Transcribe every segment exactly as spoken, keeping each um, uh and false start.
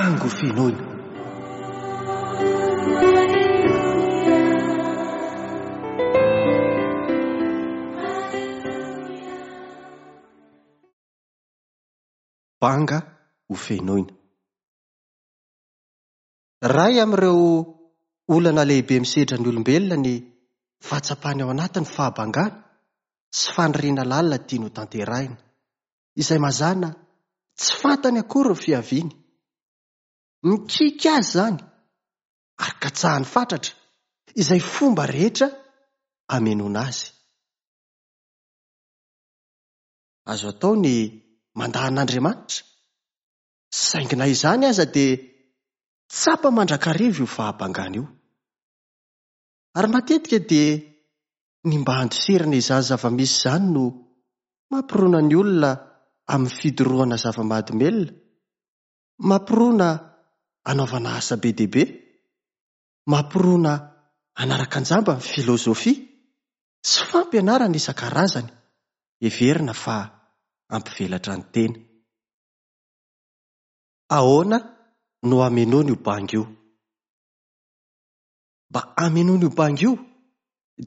Bango fenoina. Banga ho fenoina. Iray amin'ireo olana lehibe misedra ny olombelona ny fahatsapany ao anatin'ny fahabangana sy faniriana lalina tiany ho tanterahina, izay mazàna tsy fantany akory ny fiaviany. Mikiky azy izany ary katsahany fatratra izay fomba rehetra hamenoana azy. Azo atao ny mandà an'Andriamanitra, saingy na izany aza dia tsapa mandrakariva io fahabangana io. Ary matetika dia ny mba handosirana izany zava-misy izany no mampirona ny olona amin'ny fidorohana zava-mahadomelina, mampirona hanaovana asa be dia be, mampirona hanaraka an-jamba ny filozofia sy fampianarana isan-karazany heverina fa hampivelatra ny tena. Ahoana no hamenoana io banga io? Mba hamenoana io banga io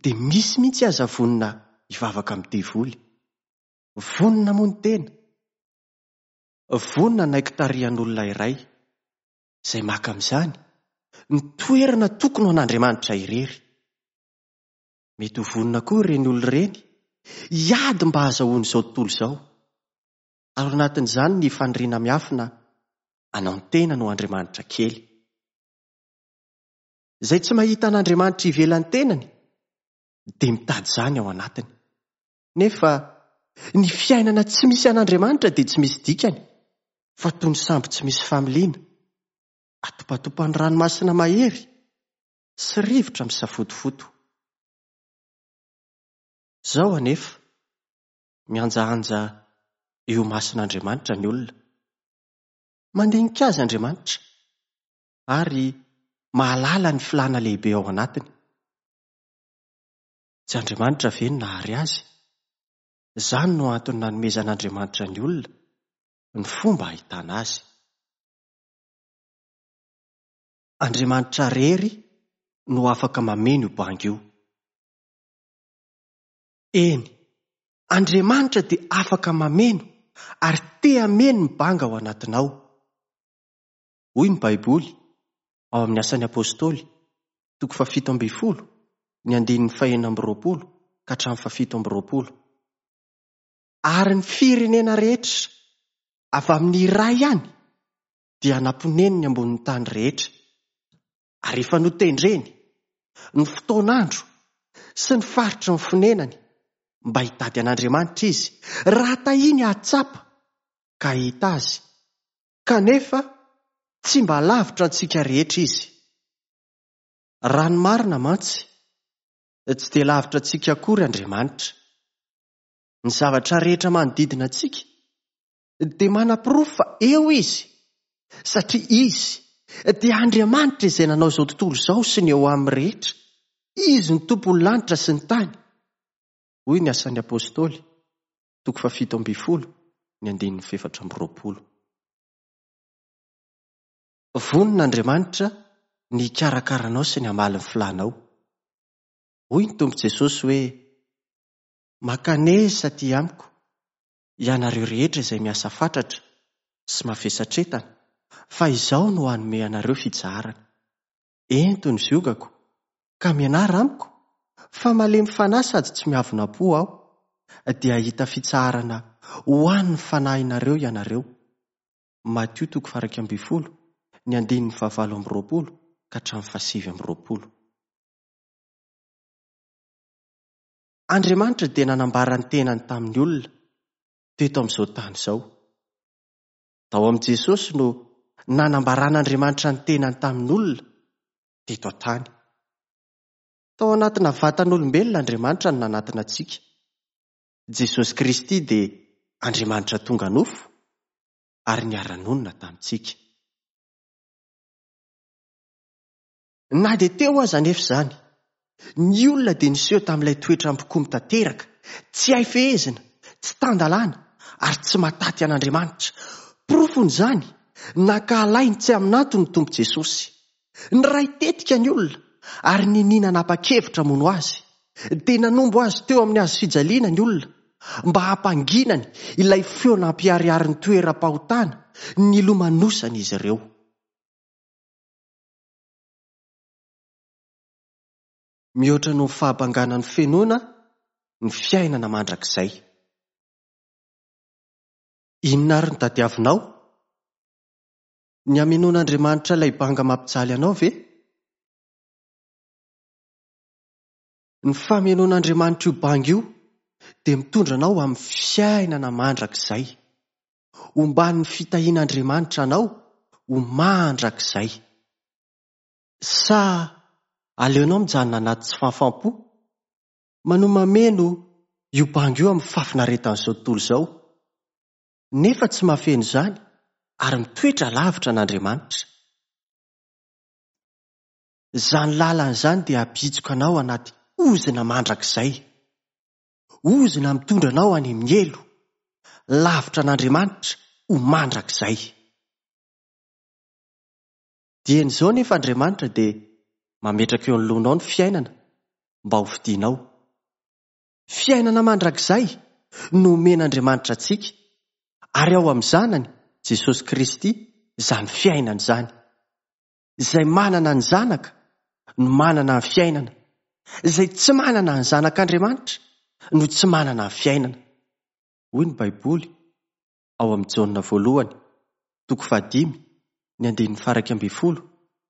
dia misy mihitsy aza vonona hivavaka amin'ny devoly. Vonona moa ny tena. Vonona hanaiky tarihan'olona iray izay maka amin'izany ny toerana tokony ho an'Andriamanitra irery. Mety ho vonona koa ireny olona ireny hiady mba hahazahoany izao tontolo izao. Ary ao anatin'izany ny faniriana miafina hanao ny tenany ho Andriamanitra kely. Izay tsy mahita an'Andriamanitra ivelan'ny tenany dia mitady izany ao anatiny. Nefa ny fiainana tsy misy an'Andriamanitra dia tsy misy dikany, fa toy ny sambo tsy misy familiana, atopatopan'ny ranomasina mahery sy rivotra misafotofoto. Izao anefa, mihanjahanja eo imason'Andriamanitra ny olona. Mandinika azy Andriamanitra ary mahalala ny filàna lehibe ao anatiny. Tsy Andriamanitra ve no nahary azy? Izany no antony nanomezan'Andriamanitra ny olona ny fomba ahitana azy. Andriamanitra irery no afaka mameno io banga io. Eny, Andriamanitra dia afaka mameno ary te hameno ny banga ao anatinao. Hoy ny Baiboly ao amin'ny Asan'ny Apostoly, toko fahafito ambin'ny folo, ny andininy fahenina amby roapolo ka hatramin'ny fahafito amby roapolo. Ary ny firenena rehetra avy amin'ny iray ihany dia namponeniny ambonin'ny tany rehetra, ary efa notendreny ny fotoan'andro sy ny faritry ny fonenany mba hitady an'Andriamanitra izy, raha tahiny hahatsapa ka hahita azy. Kanefa tsy mba lavitra antsika rehetra izy. Raha ny marina mantsy, tsy dia lavitra antsika akory Andriamanitra. Ny zavatra rehetra manodidina antsika dia manaporofo fa eo izy, satria izy dia Andriamanitra izay nanao izao tontolo izao sy ny eo aminy rehetra. Izy no tompon'ny lanitra sy ny tany. Hoy ny Asan'ny Apostoly, toko fahafito ambin'ny folo, ny andininy fahefatra amby roapolo. Vonona Andriamanitra ny hikarakara anao sy ny hamaly ny filànao. Hoy ny Tompo Jesosy hoe, Mankanesa aty amiko, ianareo rehetra izay miasa fatratra sy mavesatretana, fa izaho no hanome anareo fitsaharana. Ento ny ziogako, ka mianara amiko, fa malemy fanahy sady tsy miavona-po aho, dia hahita fitsaharana ho an'ny fanahinareo ianareo. Matio toko faha-iraika ambin'ny folo, ny andininy fahavalo amby roapolo ka hatramin'ny fahasivy amby roapolo. Andriamanitra dia nanambara ny tenany tamin'ny olona teto amin'izao tany izao. Tao amin'i Jesosy no nanambaran'Andriamanitra ny tenany tamin'ny olona teto an-tany. Tao anatina vatan'olombelona Andriamanitra no nanatona antsika. Jesosy Kristy dia Andriamanitra tonga nofo ary niara-nonina tamintsika. Na dia teo aza anefa izany, ny olona dia niseho tamin'ilay toetra mpikomy tanteraka, tsy hay fehezina, tsy tan-dalàna ary tsy mahataty an'Andriamanitra. Porofon'izany Nankahalainy tsy amin'antony ny Tompo Jesosy. Niray tetika ny olona ary ninia nanapa-kevitra hamono azy. Dia nanombo azy teo amin'ny hazo fijaliana ny olona mba hampanginany ilay feo nampiharihary ny toeram-pahotana nilomanosana izy ireo. Mihoatra noho ny fahabangana ny finoana ny fiainana mandrakizay. Inona ary no tadiavinao? Ny hamenoan'Andriamanitra ilay banga mampijaly anao ve? Ny famenoan'Andriamanitra io banga io dia mitondra anao amin'ny fiainana mandrakizay. Omban'ny fitahian'Andriamanitra anao ho mandrakizay. Sa aleonao mijanona anaty tsy fahafaham-po? Manohy mameno io banga io amin'ny fahafinaretan'izao tontolo izao. Nefa tsy mahafeno izany ary mitoetra lavitra an'Andriamanitra. Izany lalana izany dia hampihitsoka anao anaty ozona mandrakizay. Ozona mitondra anao any amin'ny helo, lavitra an'Andriamanitra ho mandrakizay. Dieny izao nefa Andriamanitra dia mametraka eo anoloanao ny fiainana mba ho fidinao. Fiainana mandrakizay no omen'Andriamanitra antsika, ary ao amin'ny Zanany, Jesosy Kristy, izany fiainana izany. Izay manana ny Zanaka no manana ny fiainana. Izay tsy manana ny Zanak'Andriamanitra no tsy manana ny fiainana. Hoy ny Baiboly ao amin'ny Jaona voalohany, toko fahadimy, ny andininy faha-iraika ambin'ny folo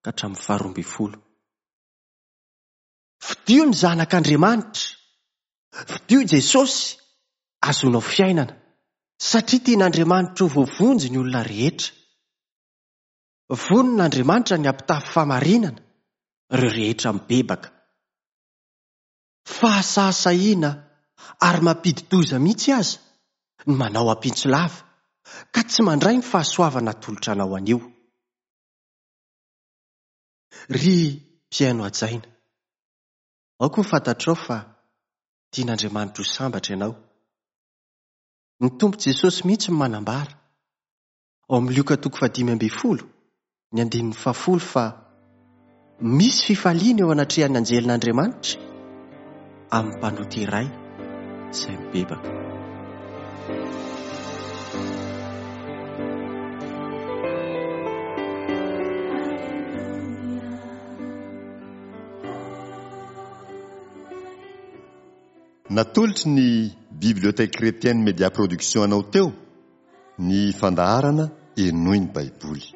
ka hatramin'ny faharoa ambin'ny folo. Fidio ny Zanak'Andriamanitra, fidio Jesosy, azonao fiainana, satria tian'Andriamanitra ho voavonjy ny olona rehetra. Vonona Andriamanitra ny hampitafy fahamarinana ireo rehetra mibebaka. Fahasahisahiana ary mampidi-doza mihitsy aza ny manao ampitso lava ka tsy mandray ny fahasoavana atolotra anao anio. Ry mpihaino hajaina, aoka ho fantatrao fa tian'Andriamanitra ho sambatra ianao. Ny Tompo Jesosy mihitsy no manambara ao amin'ny Lioka toko fahadimy ambin'ny folo, ny andininy fahafolo fa misy fifaliana eo anatrehan'ny anjelin'Andriamanitra amin'ny mpanota iray izay mibebaka. Natolotry ny Bibliothèque Chrétienne Média Production anao teo ny fandaharana Henoy ny Baiboly.